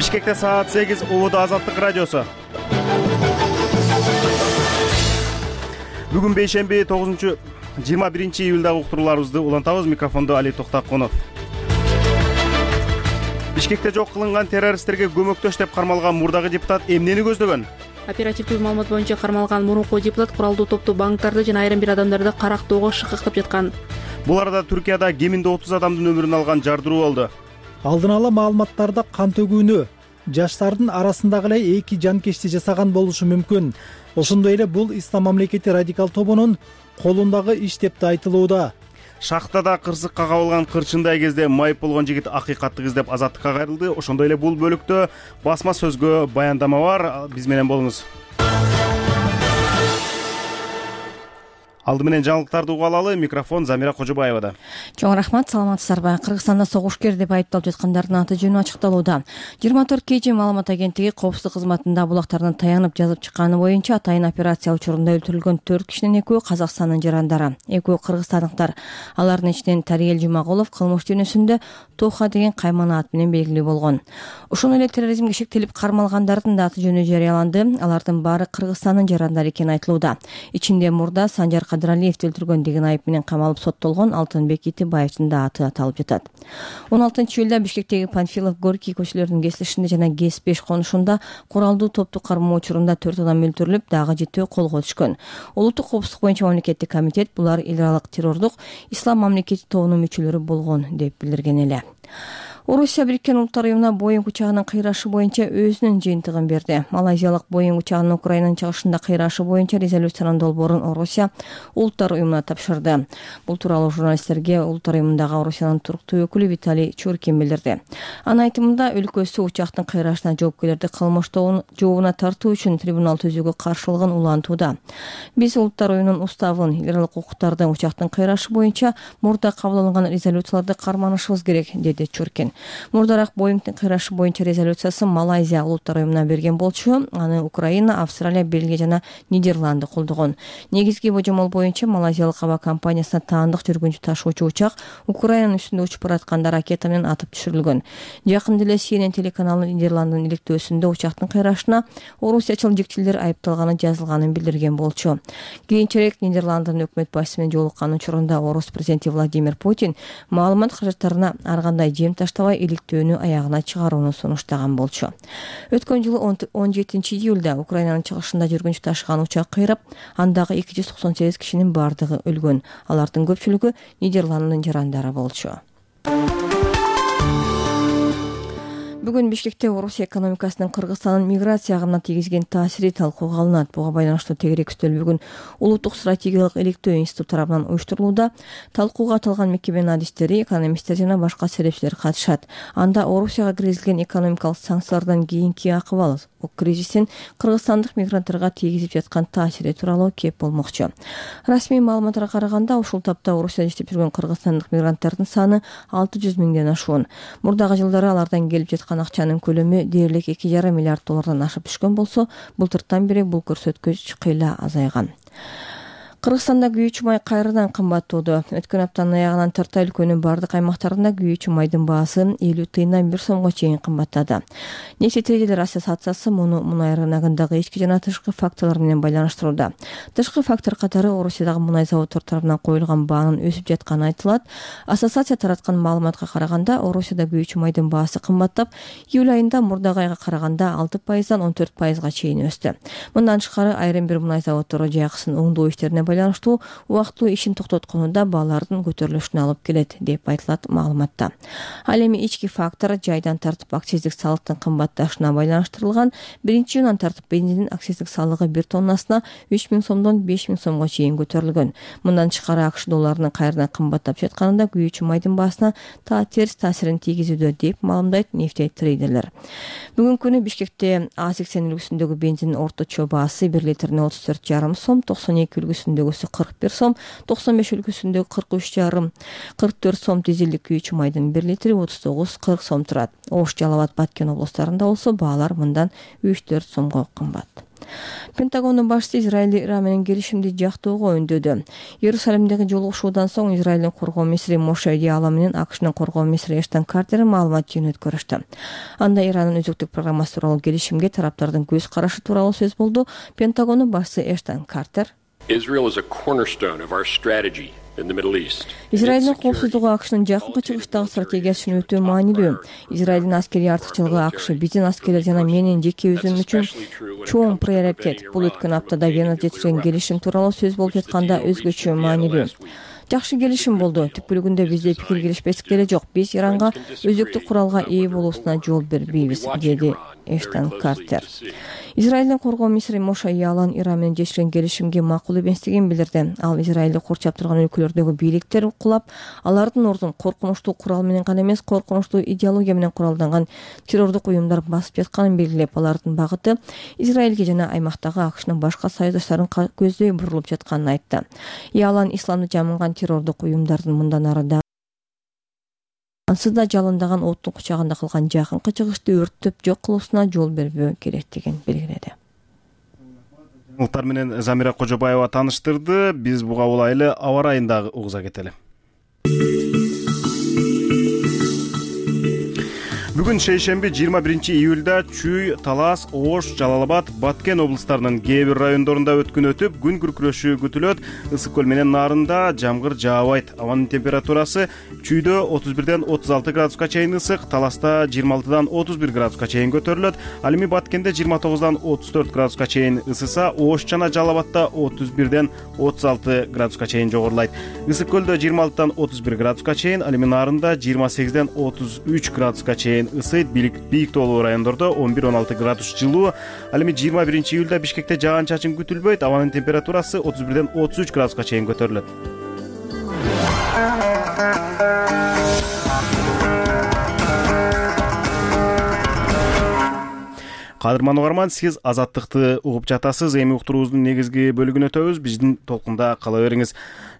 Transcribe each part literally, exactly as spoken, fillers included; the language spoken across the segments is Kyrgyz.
Бишкекте саат сегиз, Улуу Азаттык радиосу. Бүгүн бейшемби тогузунчу жыйырма биринчи июлдагы уктурууларыбызды улантабыз. Микрофондо Али Токтакунов. Бишкекте жок кылынган террористтерге көмөктөш деп кармалган мурдагы депутат эмнени көздөгөн? Оперативдүү маалымат боюнча кармалган мурунку депутат куралдуу топту банктарды жана айрым бир адамдарды карактоого шыкыктап жаткан. Бул арада Түркияда кеминде отуз адамдын өмүрүн алган жардыруу болду. Алдын ала маалыматтарда кан төгүүнү жаштардын арасындагы эле эки жанкечти жасаган болушу мүмкүн. Ошондой эле бул Ислам мамлекети радикал тобунун колундагы иш деп да айтылууда. Шахтада кырсыкка кабылган кырчындай кезде майып болгон жигит акыйкатты издеп азаттыкка кайрылды. Ошондой эле бул бөлүктө басма сөзгө баяндама бар. Биз менен болуңуз. Алды менен жаңылыктарды угуп алалы. Микрофон Замира Кожобаевада. Чоң рахмат, саламатсыздарбы? Кыргызстанда согушкер деп айыпталып жаткандардын аты жөнү ачыкталууда. жыйырма төрт кей жи маалымат агенттиги коопсуздук кызматында булактардан таянып жазып чыкканы боюнча атайын операция учурунда өлтүрүлгөн төрт кишинин экөө Казакстандын жарандары, экөө кыргызстандыктар. Алардын ичинен Тариел Жумагулов кылмыш дүйнөсүндө Тоха деген каймана ат менен белгилүү болгон. Ошондой эле терроризмге шектелип кармалгандардын да аты жөнү жарыяланды. Алардын баары Кыргызстандын жарандары экени айтылууда. Ичинде мурда Санжар Кадыралиевди өлтүргөн деген айып менен камалып соттолгон Алтынбек Итибаевдин да аты аталып жатат. он алтынчы июлда Бишкектеги Панфилов, Горький көчөлөрүнүн кесилишинде жана ГЭС беш конушунда куралдуу топту кармоо учурунда төрт адам өлтүрүлүп, дагы жетөө колго түшкөн. Улуттук коопсуздук боюнча мамлекеттик комитет булар эл аралык террордук Ислам мамлекети тобунун мүчөлөрү болгон деп билдирген эле. Орусия Бириккен Улуттар уюмуна Боинг учагынын кыйрашы боюнча өзүнүн жыйынтыгын берди. Малайзиялык Боинг учагынын Украинанын чыгышында кыйрашы боюнча резолюциянын долбоорун Орусия Улуттар уюмуна тапшырды. Бул тууралуу журналисттерге Улуттар уюмундагы Орусиянын туруктуу өкүлү Виталий Чуркин билдирди. Анын айтымында өлкөсү учактын кыйрашына жоопкерлерди кылмыш жообуна тартуу үчүн трибунал түзүүгө каршылыгын улантууда. Биз Улуттар уюмунун уставын, эл аралык укуктардын учактын кыйрашы боюнча мурда кабыл алынган резолюцияларды карманышыбыз керек, деди Чуркин. Мурдараак Боингдин кыйрашы боюнча резолюциясын Малайзия Улуттар уюмуна берген болчу. Аны Украина, Австралия, Бельгия жана Нидерланды колдогон. Негизги божомол боюнча Малайзиялык аба компаниясына таандык жүргүнчү ташуучу учак Украинанын үстүндө учуп баратканда ракета менен атып түшүрүлгөн. Жакында эле Си Эн Эн телеканалынын Нидерландынын иликтөөсүндө учактын кыйрашына орусиячыл жигчилер айыпталганы жазылганын билдирген болчу. Кийинчерээк Нидерландынын өкмөт башчысы менен жолуккан учурунда Орус президенти Владимир Путин маалымат каражаттарына ар кандай жем таштабай иликтөөнү аягына чыгарууну сунуштаган болчу. Өткөн жылы он жетинчи июлда Украинанын чыгышында жүргүнчү ташыган учак кыйрап, андагы эки жүз токсон сегиз кишинин бардыгы өлгөн. Алардын көпчүлүгү Нидерландынын жарандары болчу. Бүгүн Бишкекте Орусия экономикасынын Кыргызстандын миграция агымына тийгизген таасири талкууга алынат. Буга байланыштуу тегерек үстөл бүгүн Улуттук стратегиялык иликтөө институту тарабынан уюштурулууда. Талкууга аталган мекеменин адистери, экономисттер жана башка серепчилер катышат. Анда Орусияга киргизилген экономикалык санкциялардан кийинки акыбал, кризистин кыргызстандык мигранттарга тийгизип жаткан таасири тууралуу кеп болмокчу. Расмий маалыматтарга караганда, ушул тапта Орусияда иштеп жүргөн кыргызстандык мигранттардын саны алты жүз миңден ашуун. Мурдагы жылдары алардан келип жаткан акчанын көлөмү дээрлик эки жарым миллиард доллардан ашып түшкөн болсо, былтыртан бери бул көрсөткүч кыйла азайган. Кыргызстанда күйүүчү май кайрадан кымбаттоодо. Өткөн аптанын аягынан тарта өлкөнүн бардык аймактарында күйүүчү майдын баасы элүү тыйындан бир сомго чейин кымбаттады. Нефть трейдерлер ассоциациясы муну мунай рыногундагы ички жана тышкы факторлор менен байланыштырууда. Тышкы фактор катары Орусиядагы мунай заводдор тарабынан коюлган баанын өсүп жатканы айтылат. Ассоциация тараткан маалыматка караганда, Орусияда күйүүчү майдын баасы кымбаттап, июль айында мурдагы айга караганда алты пайыздан он төрт пайызга чейин өстү. Мындан тышкары айрым бир мунай заводдору жайкысын оңдоо иштерине байланыштуу убактылуу ишин токтотконунда баалардын көтөрүлүшүнө алып келет деп айтылат маалыматта. Ал эми ички фактор жайдан тартып акциздик салыктын кымбатташына байланыштырылган. Биринчи июндан тартып бензиндин акциздик салыгы бир тоннасына үч миң сомдон беш миң сомго чейин көтөрүлгөн. Мындан тышкары АКШ долларынын кайрадан кымбаттап жатканында күйүүчү майдын баасына та терс таасирин тийгизүүдө деп маалымдайт нефть трейдерлер. Бүгүнкү күнү Бишкекте А сексен үлгүсүндөгү бензиндин орточо баасы бир литрине отуз төрт жарым сом, токсон эки үлгүсүндөгүсү кырк бир сом, токсон беш үлгүсүндөгү кырк үч жарым, кырк төрт сом дизелдик күйүүчү майдын бир литри отуз тогуз кырк сом турат. Ош, Жалал абад, Баткен облустарында болсо баалар мындан үч төрт сомго кымбат. Пентагондун башчысы Израиль Иран менен келишимди жактоого үндөдү. Иерусалимдеги жолугушуудан соң Израилдин коргоо министри Моше Яалон менен АКШнын коргоо министри Эштон Картер маалымат жыйынын өткөрүштү. Анда Ирандын өзөктүк программасы тууралуу келишимге тараптардын көз карашы тууралуу сөз болду. Пентагондун башчысы Эштон Картер Израилдин коопсуздугу АКШнын жакынкы чыгыштагы стратегиясы үчүн өтө маанилүү. Израилдин аскерий артыкчылыгы АКШ биздин аскерлер жана менин жеке өзүм үчүн чоң приоритет. Бул өткөн аптада Венада жетишкен келишим тууралуу сөз болуп жатканда өзгөчө маанилүү. Жакшы келишим болду. Түп бөлүгүндө бизде пикир келишпестик деле жок. Биз Иранга өзөктүк куралга ээ болуусуна жол бербейбиз, деди Эштон Картер. Израилдин коргоо министри Моше Яалон Иран менен жетишкен келишимге макул эместигин билдирди. Ал Израилди курчап турган өлкөлөрдөгү бийликтер кулап, алардын ордун коркунучтуу курал менен гана эмес, коркунучтуу идеология менен куралданган террордук уюмдар басып жатканын белгилеп, алардын багыты Израилге жана аймактагы АКШнын башка союздаштарын көздөй бурулуп жатканын айтты. Яалон исламды жамынган террордук уюмдардын мындан ары да ансыз да жалындаган оттун кучагында калган жакынкы чыгышты өрттөп жок кылуусуна жол бербөө керектигин белгиледи. Жаңылыктар менен Замира Кожобаева тааныштырды. Биз буга улайлы аба ырайын дагы угуза кетели. Бүгүн шейшемби жыйырма биринчи июлда Чүй, Талас, Ош, Жалал Абад, Баткен облустарынын кээ бир райондорунда өткүн өтүп, күн күркүрөшү күтүлөт. Ысык көл менен Нарында жамгыр жаабайт. Абанын температурасы Чүйдө отуз бирден отуз алты градуска чейин ысык, Таласта жыйырма алтыдан отуз бир градуска чейин көтөрүлөт. Ал эми Баткенде жыйырма тогуздан отуз төрт градуска чейин ысыса, Ош жана Жалал Абадта отуз бирден отуз алты градуска чейин жогорулайт. Ысык көлдө жыйырма алтыдан отуз бир градуска чейин, ал эми Нарында жыйырма сегизден отуз үч градуска чейин ысыйт. Бийик тоолуу райондордо он бир он алты градус жылуу. Ал эми жыйырма биринчи июлда Бишкекте жаан-чачын күтүлбөйт. Абанын температурасы отуз бирден отуз үч градуска чейин көтөрүлөт. Кадырман угарман, сиз Азаттыкты угуп жатасыз. Эми уктуруубуздун негизги бөлүгүнө өтөбүз. Биздин толкунда кала бериңиз.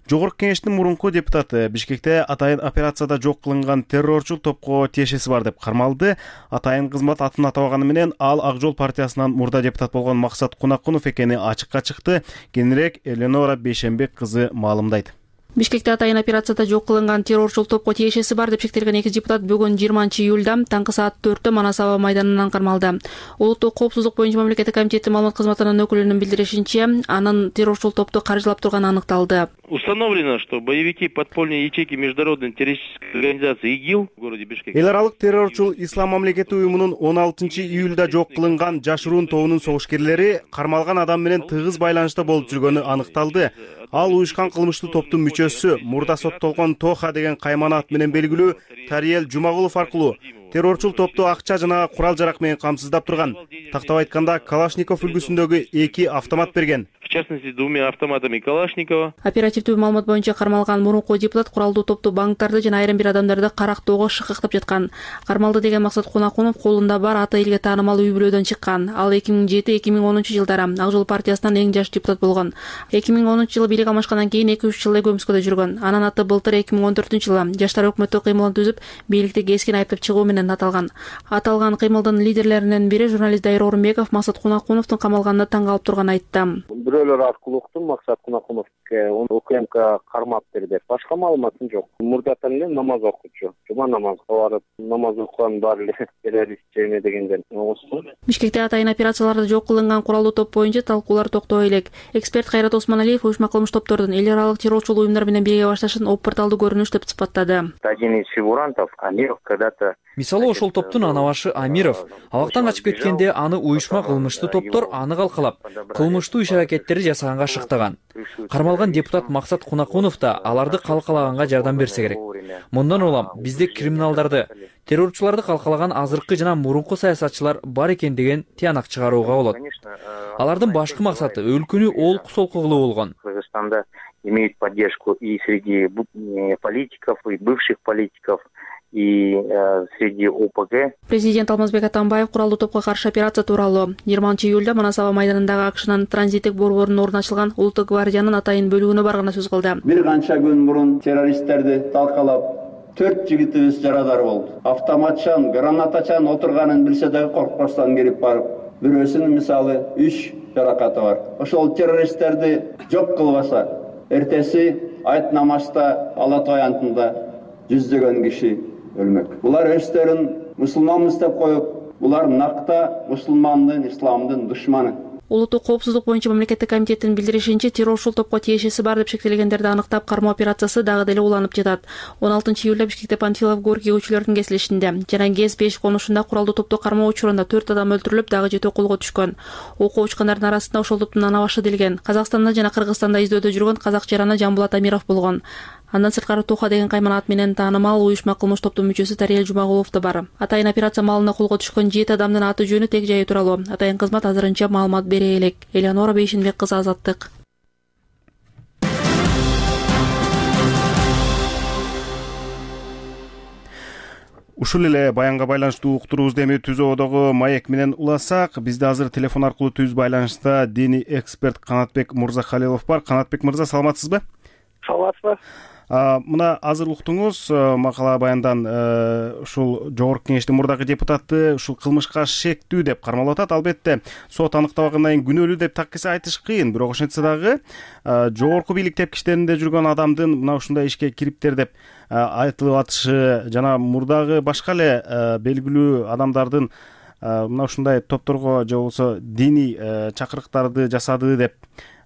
Жогорку кеңештин мурунку депутаты Бишкекте атайын операцияда жок кылынган террорчул топко тиешеси бар деп кармалды. Атайын кызмат атын атабаганы менен ал Ак Жол партиясынан мурда депутат болгон Максат Кунакунов экени ачыкка чыкты. Кененирээк Эленора Бейшенбек кызы маалымдайт. Бишкекте атайын операцияда жок кылынган террорчул топко тиешеси бар деп шектелген эки депутат бүгүн жыйырманчы июлда таңкы саат төрттө Манас аба майданынан кармалды. Улуттук коопсуздук боюнча мамлекеттик комитеттин маалымат кызматынын өкүлүнүн билдиришинче, анын террорчул топту каржылап турганы аныкталды. Установлено, что боевики подпольной ячейки международной террористической организации ИГИЛ в городе Бишкек. Эл аралык террорчул Ислам мамлекети уюмунун он алтынчы июлда жок кылынган жашыруун тобунун согушкерлери кармалган адам менен тыгыз байланышта болуп жүргөнү аныкталды. Ал уюшкан кылмыштуу топтун мүчөсү, мурда соттолгон Тоха деген кайманат менен белгилүү Тариел Жумагулов аркылуу террорчул топту акча жана курал жарак менен камсыздап турган. Тактап айтканда, Калашников үлгүсүндөгү эки автомат берген. В частности, двумя автоматами Калашникова. Оперативдүү маалымат боюнча кармалган мурунку депутат куралдуу топту банктарды жана айрым бир адамдарды карактоого шыкыктап жаткан. Кармалды деген Максат Кунакунов колунда бар ата элге таанымал үй бүлөдөн чыккан. Ал эки миң жети эки миң онунчу жылдары Ак Жол партиясынан эң жаш депутат болгон. эки миң онунчу жылы бийлик алмашкандан кийин эки үч жыл Көмскөдө жүргөн. Анын аты былтыр эки миң он төртүнчү жылы жаштар өкмөттүк кыймылын түзүп, бийликти кескин айыптап чыгуу менен аталган. Аталган кыймылдын лидерлеринин бири журналист Дайыр Орунбеков Максат Кунакуновдун камалганына таң калып турганын айтты. Бирөөлөр аркылуу уктум, Максат Кунакуновго УКМК кармап берди. Башка маалыматым жок. Мурдатан эле намаз окуучу. Жума намазга барып, намаз окуган бар эле террорист жеме дегенден угуштум. Бишкекте атайын операцияларда жок кылынган куралдуу топ боюнча талкуулар токтоо элек. Эксперт Кайрат Осмоналиев уюшма кылмыш топтордун эл аралык террорчул уюмдар менен бирге башташын оппорталдуу көрүнүш деп сыпаттады. Один из фигурантов, Амиров, когда-то Мисалы ошол топтун анабашы Амиров абактан качып кеткенде аны уюшма кылмыштуу топтор аны калкалап, кылмыштуу иш-аракеттерди жасаганга шыктаган. Кармалган депутат Максат Кунакунов да аларды калкалаганга жардам берсе керек. Мындан улам бизде криминалдарды, террорчуларды калкалаган азыркы жана мурунку саясатчылар бар экен деген тыянак чыгарууга болот. Алардын башкы максаты өлкөнү олку солку кылуу болгон. Кыргызстанда имеют поддержку и среди политиков, и бывших политиков, и э, среди ОПГ. Президент Алмазбек Атамбаев куралдуу топко каршы операция тууралуу жыйырманчы июлда Манас аба майданындагы АКШнын транзиттик борборунун ордуна ачылган Улуттук гвардиянын атайын бөлүгүнө барганда сөз кылды. Бир канча күн мурун террористтерди талкалап, төрт жигитибиз жарадар болду. Автоматчан, гранатачан отурганын билсе дагы коркпостон кирип барып, бирөөсүн мисалы үч жаракаты бар. Ошол террористтерди жок кылбаса, эртеси айт намазда Алла аянтында жүздөгөн киши өлмөк. Булар өздөрүн мусулманбыз деп коюп, булар накта мусулмандын, исламдын душманы. Улуттук коопсуздук боюнча мамлекеттик комитеттин билдиришинче, террорчул топко тиешеси бар деп шектелгендерди аныктап кармоо операциясы дагы деле уланып жатат. он алтынчы июлда Бишкекте Панфилов Горький көчөлөрүнүн кесилишинде жана ГЭС беш конушунда куралдуу топту кармоо учурунда төрт адам өлтүрүлүп, дагы жетөө колго түшкөн. Окуу учкандардын арасында ошол топтун ана башы делген. Казакстанда жана Кыргызстанда издөөдө жүргөн казак жараны Жамбулат Амиров болгон. Андан сырткары Туха деген кайман ат менен таанымал уюшма кылмыш топтун мүчөсү Тариел Жумагулов да бар. Атайын операция маалында колго түшкөн жети адамдын аты жөнү тег жайы тууралуу атайын кызмат азырынча маалымат бере элек. Элеонора Бейшенбек кызы, Азаттык. Ушул эле баянга байланыштуу уктуруубузду эми Түз Ободогу маек менен уласак, бизде азыр телефон аркылуу түз байланышта диний эксперт Канатбек Мырзахалилов бар. Канатбек мырза, саламатсызбы? Саламатсызбы. Мына азыр уктуңуз макала баяндан ушул жогорку кеңештин мурдагы депутаты ушул кылмышка шектүү деп кармалып атат. Албетте сот аныктабагандан кийин күнөөлүү деп так эсе айтыш кыйын, бирок ошентсе дагы жогорку бийлик тепкичтеринде жүргөн адамдын мына ушундай ишке кириптер деп айтылып атышы жана мурдагы башка эле белгилүү адамдардын мына ушундай топторго же болбосо диний чакырыктарды жасады деп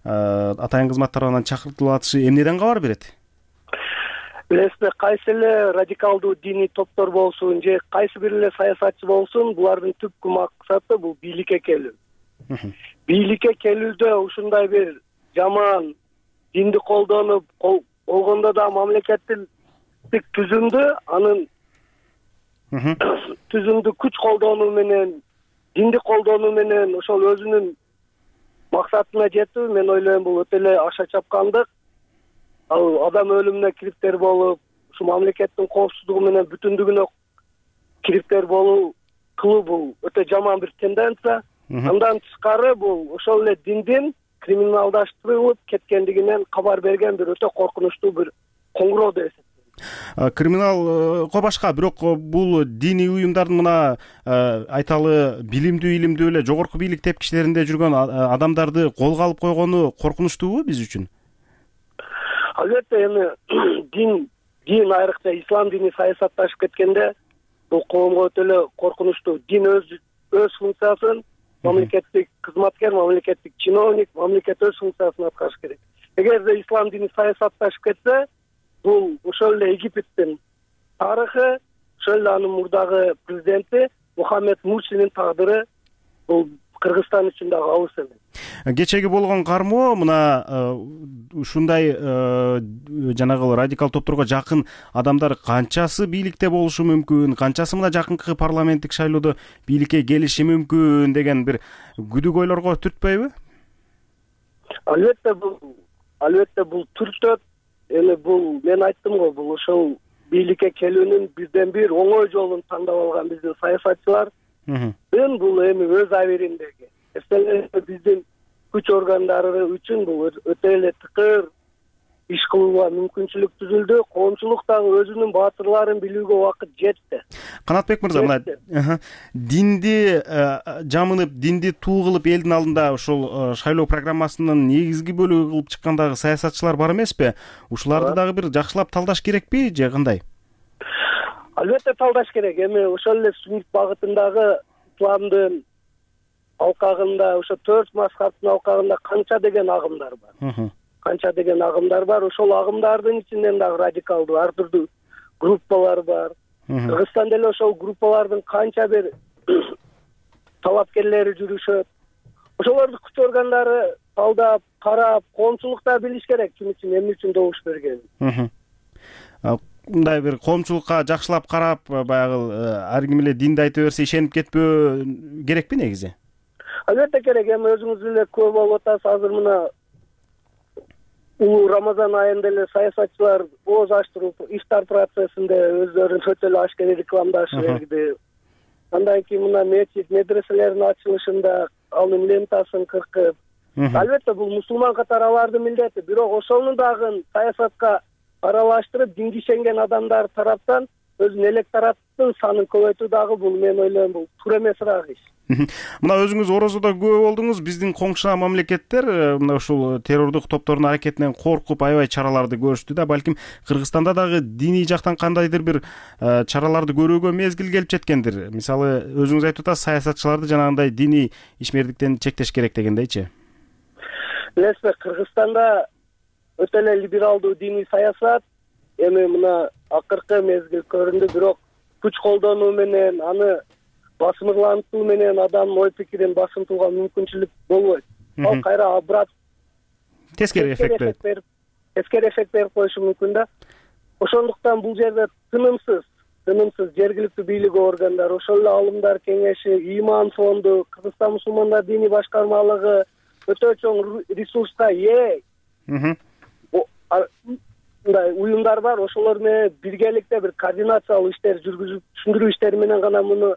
атайын кызмат тарабынан чакыртылып атышы эмнеден кабар берет? Билесизби, кайсы эле радикалдуу диний топтор болсун же кайсы бир эле саясатчы болсун, булардын түпкү максаты бул бийликке келүү. Бийликке келүүдө ушундай бир жаман динди колдонуп болгондо да мамлекеттик түзүмдү, анын түзүмдү күч колдонуу менен, динди колдонуу менен ошол өзүнүн максатына жетүү, мен ойлойм, бул өтө эле аша чапкандык. Ал адам өлүмүнө кириптер болуп, ушу мамлекеттин коопсуздугу менен бүтүндүгүнө кириптер болуу кылуу бул өтө жаман бир тенденция. Андан тышкары бул ошол эле диндин криминалдаштырылып кеткендигинен кабар берген бир өтө коркунучтуу бир коңгуроо деп эсептейм. Криминалго башка, бирок бул диний уюмдардын мына айталы билимдүү, илимдүү эле жогорку бийлик тепкичтеринде жүргөн адамдарды колго алып койгону коркунучтуубу биз үчүн? Албетте, эми дин, дин айрыкча ислам дини саясатташып кеткенде бул коомго өтө эле коркунучтуу. Дин өз өз функциясын, мамлекеттик кызматкер, мамлекеттик чиновник, мамлекет өз функциясын аткарыш керек. Эгерде ислам дини саясатташып кетсе, бул ошол эле Египеттин тарыхы, ошол эле анын мурдагы президенти Мухаммед Мурсинин тагдыры бул Кыргызстан үчүн дагы алыс эмес. Кечеги болгон кармоо мына ушундай жанагы радикал топторго жакын адамдар канчасы бийликте болушу мүмкүн, канчасы мына жакынкы парламенттик шайлоодо бийликке келиши мүмкүн деген бир күдүк ойлорго түртпөйбү? Албетте бул албетте бул түртөт. Эми бул мен айттым го, бул ошол бийликке келүүнүн бирден бир оңой жолун тандап алган биздин саясатчылар. Бул эми өз абийириндеги биздин күч органдары үчүн бул өтө эле тыкыр иш кылууга мүмкүнчүлүк түзүлдү. Коомчулук дагы өзүнүн баатырларын билүүгө убакыт жетти. Канатбек мырза, мына динди жамынып, динди туу кылып элдин алдында ошол шайлоо программасынын негизги бөлүгү кылып чыккандагы саясатчылар бар эмеспи? Ушуларды дагы бир жакшылап талдаш керекпи же кандай? Албетте талдаш керек. Эми ошол эле сүннит багытындагы исламдын алкагында, ошо төрт мазхабтын алкагында канча деген агымдар бар. Канча деген агымдар бар. Ошол агымдардын ичинен дагы радикалдуу ар түрдүү группалар бар. Кыргызстанда эле ошол группалардын канча бир талапкерлери жүрүшөт. Ошолорду күч органдары талдап, карап, коомчулук да билиш керек ким үчүн, эмне үчүн добуш бергенин. Мындай бир коомчулукка жакшылап карап, баягы ар ким эле динди айта берсе ишенип кетпөө керекпи негизи? Албетте керек. Эми өзүңүз эле көп болуп атасыз. Азыр мына улуу Рамазан айында эле саясатчылар ооз ачтырып, ифтар процессинде өздөрүн өтө эле ашкери рекламдашып берди. Андан кийин мына мечит, медреселердин ачылышында анын лентасын кыркып. Албетте бул мусулман катары алардын милдети, бирок ошону дагы саясатка аралаштырып, динге ишенген адамдар тараптан өзүнүн электораттын санын көбөйтүү дагы бул мен ойлойм бул туура эмесирээк иш. Мына өзүңүз орозодо күбө болдуңуз. Биздин коңшуна мамлекеттер мына ушул террордук топтордун аракетинен коркуп аябай чараларды көрүштү да. Балким Кыргызстанда дагы диний жактан кандайдыр бир чараларды көрүүгө мезгил келип жеткендир. Мисалы өзүңүз айтып атасыз, саясатчыларды жанагындай диний ишмердиктен чектеш керек дегендейчи. Билесизби, Кыргызстанда өтө эле либералдуу диний саясат эми мына акыркы мезгил көрүндү, бирок күч колдонуу менен, аны басымырлантуу менен адамдын ой пикирин басынтууга мүмкүнчүлүк болбойт. Ал кайра абрат тескери эффект берип, тескери эффект берип коюшу мүмкүн да. Ошондуктан бул жерде тынымсыз, тынымсыз жергиликтүү бийлик органдары, ошол эле алымдар кеңеши, Иман фонду, Кыргызстан мусулмандар диний башкармалыгы өтө чоң ресурска ээ. Мындай уюмдар бар, ошолор менен биргеликте бир координациялуу иштер жүргүзүп, түшүндүрүү иштери менен гана муну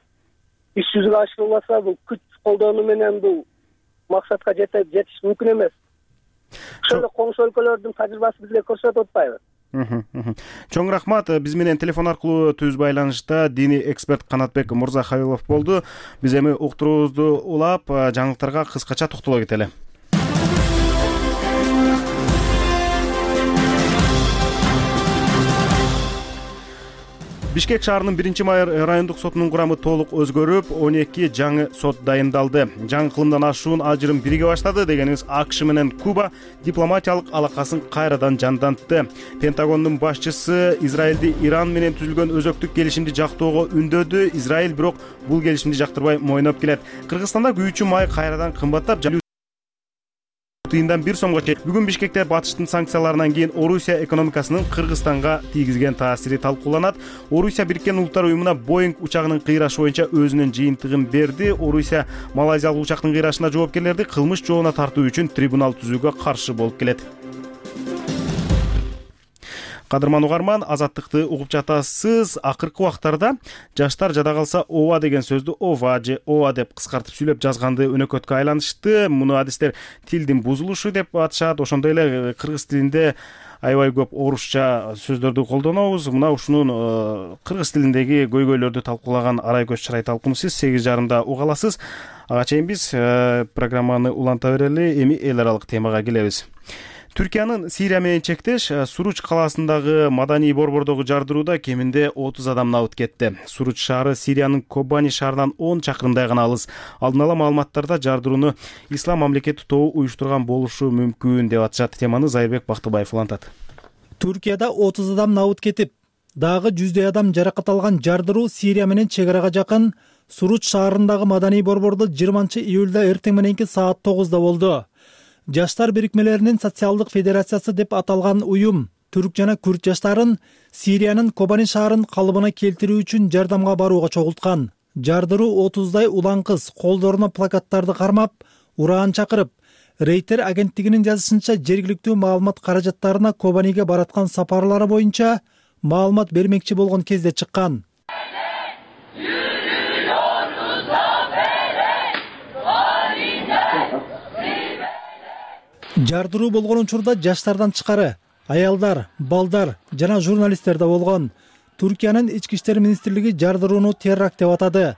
иш жүзүгө ашырылбаса, бул күч колдонуу менен бул максатка жетиш мүмкүн эмес. Ошол эле коңшу өлкөлөрдүн тажрыйбасы бизге көрсөтүп атпайбы? Чоң рахмат. Биз менен телефон аркылуу түз байланышта диний эксперт Канатбек Мырзахалилов болду. Биз эми уктуруубузду улап, жаңылыктарга кыскача токтоло кетели. Бишкек шаарынын биринчи май райондук сотунун курамы толук өзгөрүп, он эки жаңы сот дайындалды. Жаңы кылымдан ашуун ажырым бириге баштады дегениңиз АКШ менен Куба дипломатиялык алакасын кайрадан жандантты. Пентагондун башчысы Израилди Иран менен түзүлгөн өзөктүк келишимди жактоого үндөдү. Израиль бирок бул келишимди жактырбай мойноп келет. Кыргызстанда күйүүчү май кайрадан кымбаттап, тыйындан бир сомго чейин. Бүгүн Бишкекте батыштын санкцияларынан кийин Орусия экономикасынын Кыргызстанга тийгизген таасири талкууланат. Орусия Бириккен Улуттар уюмуна Боинг учагынын кыйрашы боюнча өзүнүн жыйынтыгын берди. Орусия Малайзиялык учактын кыйрашына жоопкерлерди кылмыш жоона тартуу үчүн трибунал түзүүгө каршы болуп келет. Кадырман угарман, азаттыкты угуп жатасыз. Акыркы убактарда жаштар жада калса ооба деген сөздү ова же ооба деп кыскартып сүйлөп жазганды өнөкөткө айланышты. Муну адистер тилдин бузулушу деп атышат. Ошондой эле кыргыз тилинде аябай көп орусча сөздөрдү колдонобуз. Мына ушунун кыргыз тилиндеги көйгөйлөрдү талкуулаган Арай Көз Чырай талкуун сиз сегиз жарымда уга аласыз. Ага чейин биз программаны уланта берели. Эми эл аралык темага келебиз. Түркиянын Сирия менен чектеш Суруч калаасындагы маданий борбордогу жардырууда кеминде отуз адам набыт кетти. Суруч шаары Сириянын Кобани шаарынан он чакырымдай гана алыс. Алдын ала маалыматтарда жардырууну Ислам мамлекети тобу уюштурган болушу мүмкүн деп атышат. Теманы Зайырбек Бактыбаев улантат. Түркияда отуз адам набыт кетип, дагы жүздөй адам жаракат алган жардыруу Сирия менен чек арага жакын Суруч шаарындагы маданий борбордо жыйырманчы июлда эртең мененки саат тогузда болду. Жаштар бирикмелеринин социалдык федерациясы деп аталган уюм түрк жана күрд жаштарын Сириянын Кобани шаарын калыбына келтирүү үчүн жардамга барууга чогулткан. Жардыруу отуздай улан кыз колдоруна плакаттарды кармап, ураан чакырып, Рейтер агенттигинин жазышынча жергиликтүү маалымат каражаттарына Кобаниге бараткан сапарлары боюнча маалымат бермекчи болгон кезде чыккан. Жардыруу болгон учурда жаштардан тышкары аялдар, балдар жана журналисттер да болгон. Түркиянын ички иштер министрлиги жардырууну теракт деп атады.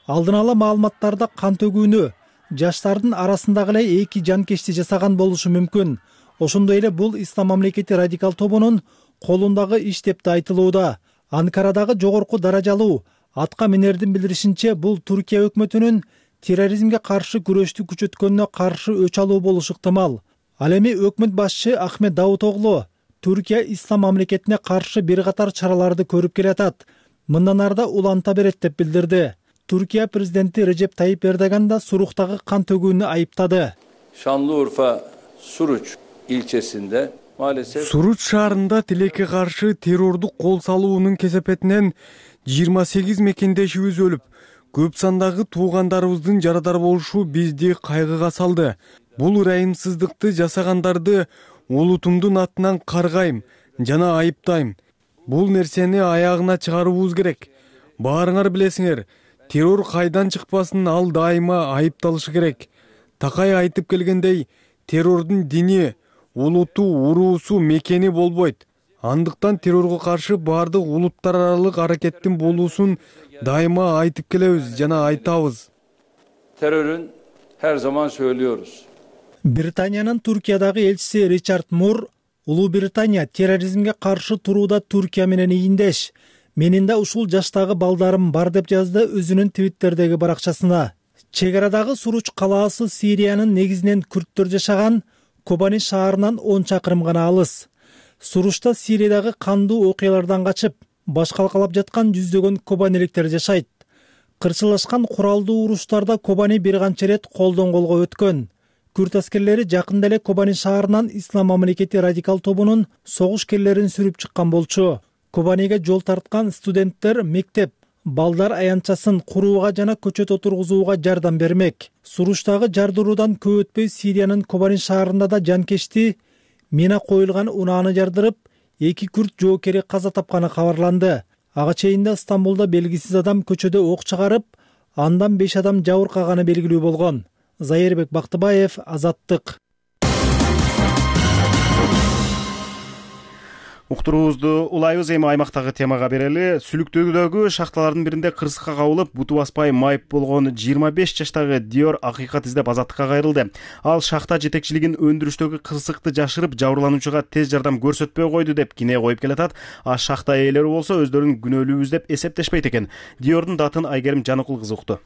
Алдын ала маалыматтарда кан төгүүнү жаштардын арасындагы эле эки жанкечти жасаган болушу мүмкүн. Ошондой эле бул Ислам мамлекети радикал тобунун колундагы иш деп да айтылууда. Анкарадагы жогорку даражалуу атка минердин билдиришинче, бул Түркия өкмөтүнүн терроризмге каршы күрөштү күчөткөнүнө каршы өч алуу болушу ыктымал. Ал эми өкмөт башчы Ахмет Давутоглу Түркия Ислам мамлекетине каршы бир катар чараларды көрүп келатат. Мындан арда уланта берет деп билдирди. Түркия президенти Режеп Тайип Эрдоган да Суруктагы кан төгүүнү айыптады. Şanlıurfa Suruç ilçesinde maalesef Суруч шаарында тилекке каршы террордук кол салуунун кесепетинен жыйырма сегиз мекендешибиз өлүп, көп сандагы туугандарыбыздын жарадар болушу бизди кайгыга салды. Бул ырайымсыздыкты жасагандарды улутумдун атынан каргайм жана айыптайм. Бул нерсени аягына чыгарууубуз керек. Баарыңар билесиңер, террор кайдан чыкпасын, ал дайыма айыпталышы керек. Такай айтып келгендей, террордун дини, улуту, уруусу, мекени болбойт. Андыктан террорго каршы баардык улуттар аралык аракеттин болуусун дайыма айтып келебиз жана айтабыз. Terörün her zaman söylüyoruz. Британиянын Туркиядагы элчиси Ричард Мур, Улуу Британия терроризмге каршы турууда Туркия менен ийиндеш. Менин да ушул жаштагы балдарым бар деп жазды өзүнүн Твиттердеги баракчасына. Чек арадагы Суруч калаасы Сириянын негизинен күрттөр жашаган Кобани шаарынан он чакырым гана алыс. Суручта Сириядагы кандуу окуялардан качып, баш калкалап жаткан жүздөгөн кобаниликтер жашайт. Кырчылашкан куралдуу уруштарда Кобани бир канча ирет колдон колго өткөн. Күрт аскерлери жакында эле Кобани шаарынан Ислам мамлекети радикал тобунун согушкерлерин сүрүп чыккан болчу. Кобаниге жол тарткан студенттер мектеп, балдар аянтчасын курууга жана көчөт отургузууга жардам бермек. Суручтагы жардыруудан көп өтпөй Сириянын Кобани шаарында да жанкечти мина коюлган унааны жардырып, эки күрт жоокери каза тапканы кабарланды. Ага чейин Стамбулда белгисиз адам көчөдө ок чыгарып, андан беш адам жабыркаганы белгилүү болгон. Зайырбек Бактыбаев, Азаттык. Уктуруубузду улайбыз, эми аймактагы темага берели. Сүлүктөгүдөгү шахталардын биринде кырсыкка кабылып, буту баспай майып болгон жыйырма беш жаштагы Диор акыйкат издеп Азаттыкка кайрылды. Ал шахта жетекчилигин өндүрүштөгү кырсыкты жашырып, жабырлануучуга тез жардам көрсөтпөй койду деп кине коюп келатат. А шахта ээлери болсо өздөрүн күнөөлүүбүз деп эсептешпейт экен. Диордун датын Айгерим Жаныкул кызы укту.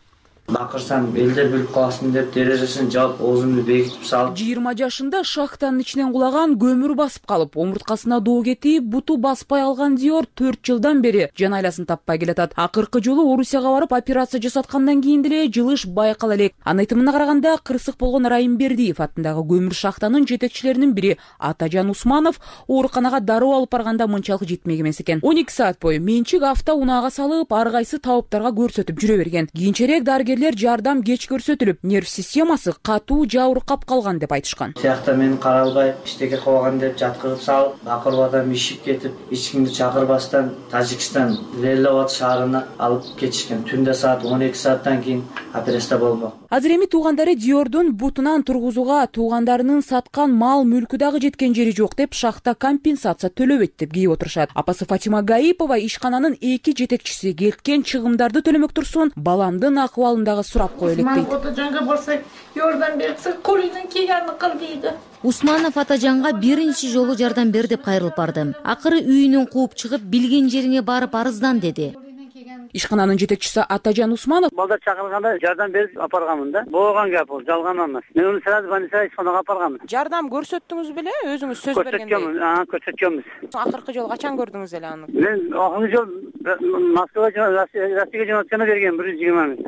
Бакырсам элдер билип калсын деп терезесин жаап оозумду бекитип салып. жыйырма жашында шахтанын ичинен кулаган көмүр басып калып, омурткасына доо кетип, буту баспай алган Диор төрт жылдан бери жан айласын таппай келатат. Акыркы жолу Орусияга барып операция жасаткандан кийин деле жылыш байкала элек. Анын айтымына караганда, кырсык болгон Райымбердиев аттындагы көмүр шахтанын жетекчилеринин бири Атажан Усманов ооруканага дароо алып барганда мынчалык жетмек эмес экен. он эки саат бою менчик авто унаага салып, ар кайсы табыптарга көрсөтүп жүрө берген. Кийинчерээк дарыгер жардам кеч көрсөтүлүп, нерв системасы катуу жабыркап калган деп айтышкан. Сиякта мени каралбай, иштеке кылган деп жаткырып салып, акырып адам ишип кетип, эч кимди чакырбастан Тажикстан Леловат шаарына алып кетишкен. Түндө саат он эки сааттан кийин операция болмок. Азыр эми туугандары Диордун бутунан тургузууга туугандарынын саткан мал мүлкү дагы жеткен жери жок деп шахта компенсация төлөбөйт деп кейип отурушат. Апасы Фатима Гаипова ишкананын эки жетекчиси кеткен чыгымдарды төлөмөк турсун, баламдын акыбалын дагы сурап кое элек дейт. Атажанга барсак, жардам берсе, колунун кийгени кыл дейди. Усманов Атажанга биринчи жолу жардам бер деп кайрылып бардым. Акыры үйүнөн кууп чыгып, билген жериңе барып арыздан деди. Ишкананын жетекчиси Атажан Усманов: балдар чакырганда жардам берип апарганмын да. Болгон гап бул, жалган эмес. Мен уну сразу больницага ишканага апарганмын. Жардам көрсөттүңүз беле? Өзүңүз сөз бергендей. Көрсөткөнбүз, ага, көрсөткөнбүз. Акыркы жолу качан көрдүңүз эле аны? Мен акыркы жол Москвага, Россияга жөнөткөндө берген бир жүз жыйырма миң.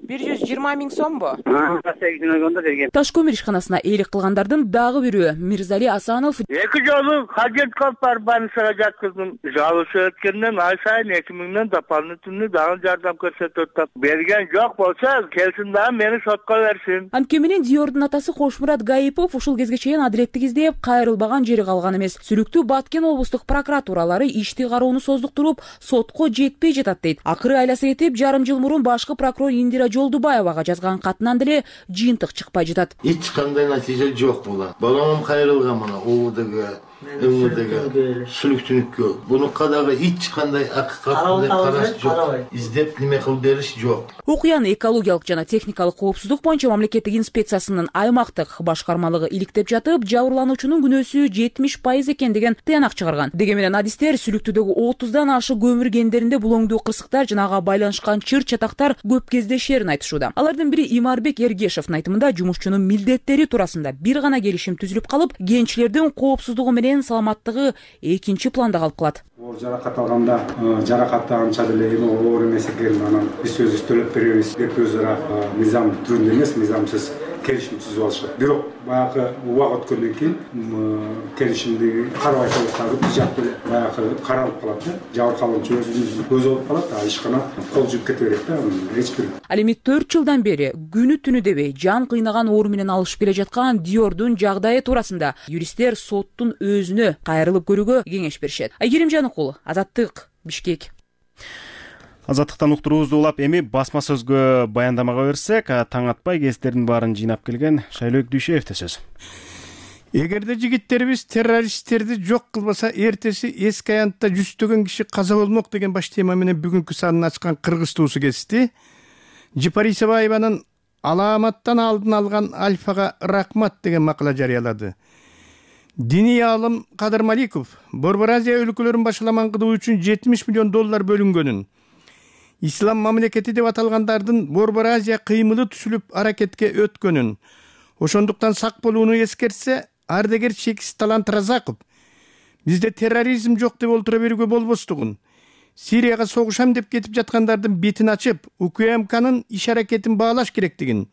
бир жүз жыйырма миң сомбу? Россияга жөнөткөндө берген. Таш көмүр ишканасына ээлик кылгандардын дагы бирөө Мирзали Асанов: эки жолу хажет кылып барып больницага жаткыздым. Жалышы өткөндөн ай сайын эки миңден дополнительный дагы жардам көрсөтөт. Берген жок болсо, келсин дагы мени сотко берсин. Анткени менен Диордун атасы Кошмурат Гаипов ушул кезге чейин адилеттик издеп, кайрылбаган жери калган эмес. Сүлүктүү Баткен облустук прокуратуралары ишти кароону создуктуруп, сотко жетпей жатат дейт. Акыры айласы кетип, жарым жыл мурун башкы прокурор Индира Жолдубаевага жазган катынан деле жыйынтык чыкпай жатат. Эч кандай натыйжа жок була. Балам кайрылган мына ОУДга, МВДга, сүлүктүнүккө. Бунукка дагы эч кандай акыйкат караш жок. Издеп неме кылып бериш жок. Окуяны экологиялык жана техникалык коопсуздук боюнча мамлекеттик инспекциясынын аймактык башкармалыгы иликтеп жатып, жабырлануучунун күнөөсү жетимиш пайыз экен деген тыянак чыгарган. Деге менен адистер сүлүктүүдөгү отуздан ашык көмүр кендеринде булоңдуу кырсыктар жана ага байланышкан чыр чатактар көп кездешерин айтышууда. Алардын бири Имарбек Эргешевдин айтымында жумушчунун милдеттери туурасында бир гана келишим түзүлүп калып, кенчилердин коопсуздугу менен саламаттыгы экинчи планда калып калат. Оор жаракат алганда жаракатты анча деле эми оор эмес экен, анан биз өзүбүз төлөп беребиз деп өз ара мыйзам түрүндө эмес, мыйзамсыз келишим түзүп алышат. Бирок баягы убак өткөндөн кийин келишимди карабай калгандары биз жакты баягы каралып калат да. Жабыркалуучу өзүнүн көзү болуп калат, а ишкана кол жууп кете берет да. Эч бир. Ал эми төрт жылдан бери күнү түнү дебей жан кыйнаган оор менен алышып келе жаткан Диордун жагдайы туурасында юристтер соттун өзүнө кайрылып көрүүгө кеңеш беришет. Айгерим Жаныкул, Азаттык, Бишкек. Азаттыктан уктуруубузду улап, эми басма сөзгө баяндамага берсек, таң атпай кестердин баарын жыйнап келген Шайлоок Дүйшеевде сөз. Эгерде жигиттерибиз террористтерди жок кылбаса, эртеси эски аянтта жүздөгөн киши каза болмок деген баш тема менен бүгүнкү санын ачкан Кыргыз туусу кести. Жипарисова Айбанын аламаттан алдын алган Альфага рахмат деген макала жарыялады. Диний аалым Кадыр Маликов Борбор Азия өлкөлөрүн башаламан кылуу үчүн жетимиш миллион доллар бөлүнгөнүн, ислам мамлекети деп аталгандардын Борбор Азия кыймылы түзүлүп аракетке өткөнүн, ошондуктан сак болууну эскертсе, ардагер Чекис Талант Разаков бизде терроризм жок деп олтура берүүгө болбостугун, Сирияга согушам деп кетип жаткандардын бетин ачып, УКМКнын иш аракетин баалаш керектигин,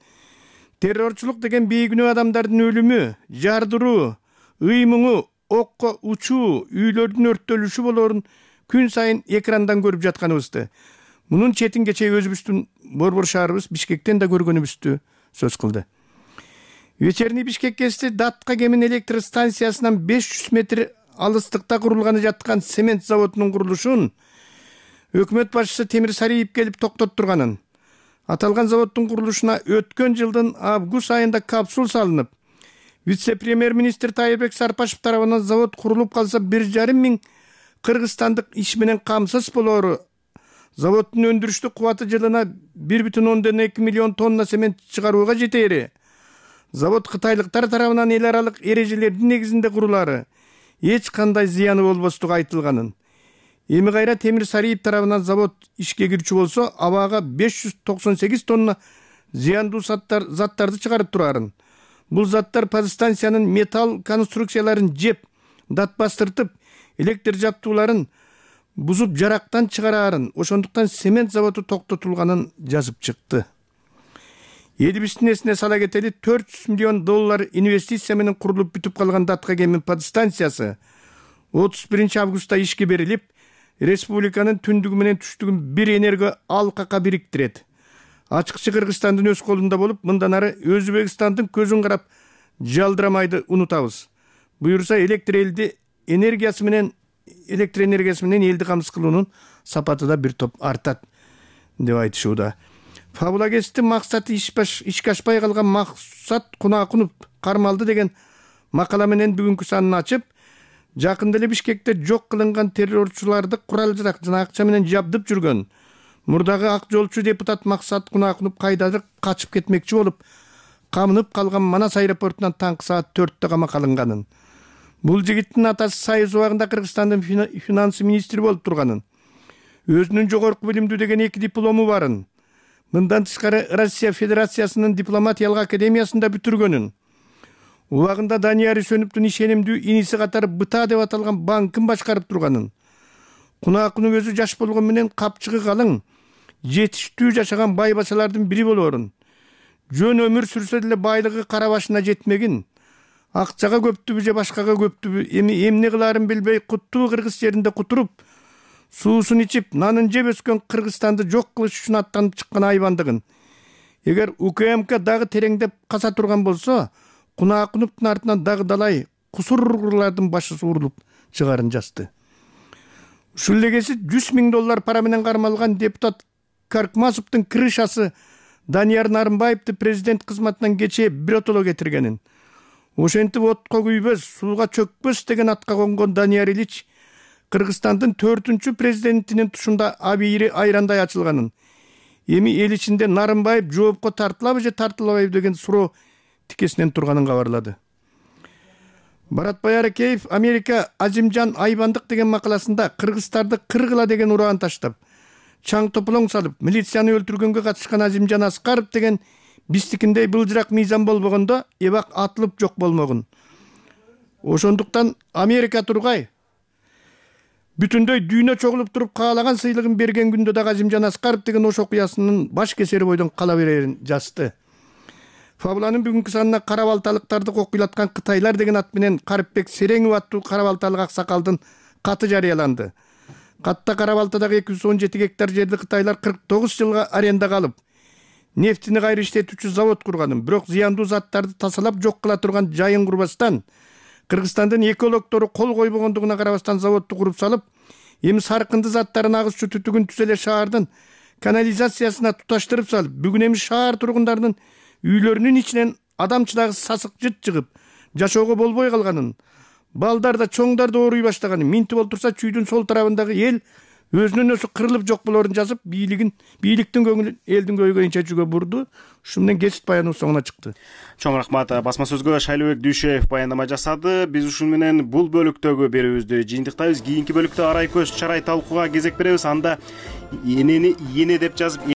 террорчулук деген бейгүнөө адамдардын өлүмү, жардыруу, ыймыңы, окко учуу, үйлөрдүн өрттөлүшү болоорун күн сайын экрандан көрүп жатканыбызды, мунун четин кечээ өзүбүздүн борбор шаарыбыз Бишкектен да көргөнүбүздү сөз кылды. Вечерний Бишкек кести Датка Кемин электр станциясынан беш жүз метр алыстыкта курулганы жаткан цемент заводунун курулушун өкмөт башчысы Темир Сариев келип токтоттурганын, аталган заводдун курулушуна өткөн жылдын август айында капсул салынып, вице-премьер-министр Тайырбек Сарпашев тарабынан завод курулуп калса бир жарым миң кыргызстандык иш менен камсыз болоору, заводдун өндүрүштүк кубаты жылына бир бүтүн ондон эки миллион тонна цемент чыгарууга жетери, завод кытайлыктар тарабынан эл аралык эрежелердин негизинде курулары, эч кандай зыяны болбостугу айтылганын. Эми кайра Темир Сариев тарабынан завод ишке кирчү болсо, абага беш жүз токсон сегиз тонна зыяндуу заттар заттарды чыгарып турарын. Бул заттар подстанциянын металл конструкцияларын жеп, датбастыртып, электр жабдууларын бузуп жарактан чыгарарын, ошондуктан цемент заводу токтотулганын жазып чыкты. Элибиздин эсине сала кетели, төрт жүз миллион доллар инвестиция менен курулуп бүтүп калган Датка Кемин подстанциясы отуз биринчи августта ишке берилип, республиканын түндүгү менен түштүгүн бир энерго алкакка бириктирет. Ачыкчы Кыргызстандын өз колунда болуп, мындан ары Өзбекстандын көзүн карап жалдырамайды унутабыз. Буюрса электр элди энергиясы менен электр энергиясы менен элди камсыз кылуунун сапаты да бир топ артат деп айтышууда. Фабула кести максаты ишке ашпай калган Максат Кунакунов кармалды деген макала менен бүгүнкү санын ачып, жакында эле Бишкекте жок кылынган террорчуларды курал-жарак жана акча менен жабдып жүргөн мурдагы ак жолчу депутат Максат Кунакунов кайдадыр качып кетмекчи болуп, камынып калган Манас аэропортунан таңкы саат төрттө камакка алынганын. Бул жигиттин атасы Союз убагында Кыргызстандын финансы министри болуп турганын, өзүнүн жогорку билимдүү деген эки диплому барын, мындан тышкары Россия Федерациясынын дипломатиялык академиясында бүтүргөнүн, убагында Данияр Үсөновдун ишенимдүү иниси катары БТА деп аталган банкын башкарып турганын, Кунакунов өзү жаш болгон менен капчыгы калың, жетиштүү жашаган бай бачалардын бири болоорун, жөн өмүр сүрсө деле байлыгы кара башына жетмегин, акчага көптүбү же башкага көптүбү эми эмне кылаарын билбей куттуу кыргыз жеринде кутуруп, суусун ичип, нанын жеп өскөн Кыргызстанды жок кылыш үчүн аттанып чыккан айбандыгын. Эгер УКМК дагы тереңдеп каса турган болсо, Кунакуновдун артынан дагы далай кусурлардын башы суурулуп чыгарын жазды. Ушул элегеси жүз миң доллар пара менен кармалган депутат Каркмасовдун крышасы Данияр Нарымбаевди президент кызматынан кечээ биротоло кетиргенин, ошентип отко күйбөс, сууга чөкпөс деген атка конгон Данияр Ильич Кыргызстандын төртүнчү президентинин тушунда абийири айрандай ачылганын, эми эл ичинде Нарымбаев жоопко тартылабы же тартылбайбы деген суроо тикесинен турганын кабарлады. Баратбай Аракеев Америка Азимжан Айбандык деген макаласында кыргыздарды кыргыла деген ураан таштап, чаң тополоң салып, милицияны өлтүргөнгө катышкан Азимжан Аскаров деген биздикиндей былжырак мыйзам болбогондо эбак атылып жок болмогун. Ошондуктан Америка тургай бүтүндөй дүйнө чогулуп туруп каалаган сыйлыгын берген күндө да Азимжан Аскаров деген ош окуясынын баш кесери бойдон кала берерин жазды. Фабуланын бүгүнкү санына кара балталыктарды кокуйлаткан Кытайлар деген ат менен Карипбек Сереңов аттуу кара балталык аксакалдын каты жарыяланды. Катта кара балтадагы эки жүз он жети гектар жерди Кытайлар кырк тогуз жылга арендага алып, нефтини кайра иштетүүчү завод курганын, бирок зыяндуу заттарды тазалап жок кыла турган жайын курбастан, Кыргызстандын экологтору кол койбогондугуна карабастан заводду куруп салып, эми саркынды заттарын агызчу түтүгүн түз эле шаардын канализациясына туташтырып салып, бүгүн эми шаар тургундарынын үйлөрүнүн ичинен адамчыдагы сасык жыт чыгып, жашоого болбой калганын, балдар да чоңдар да ооруй баштаганын, минтип олтурса чүйдүн сол тарабындагы эл өзүнөн өзү кырылып жок болоорун жазып, бийлигин, бийликтин көңүлүн элдин көйгөйүн чечүүгө бурду. Ушу менен кесип баянуу соңуна чыкты. Чоң рахмат. Басма сөзгө Шайлообек Дүйшөев баяндама жасады. Биз ушун менен бул бөлүктөгү берүүбүздү жыйынтыктайбыз. Кийинки бөлүктө арай көз чарай талкууга кезек беребиз. Анда энени ийене деп жазып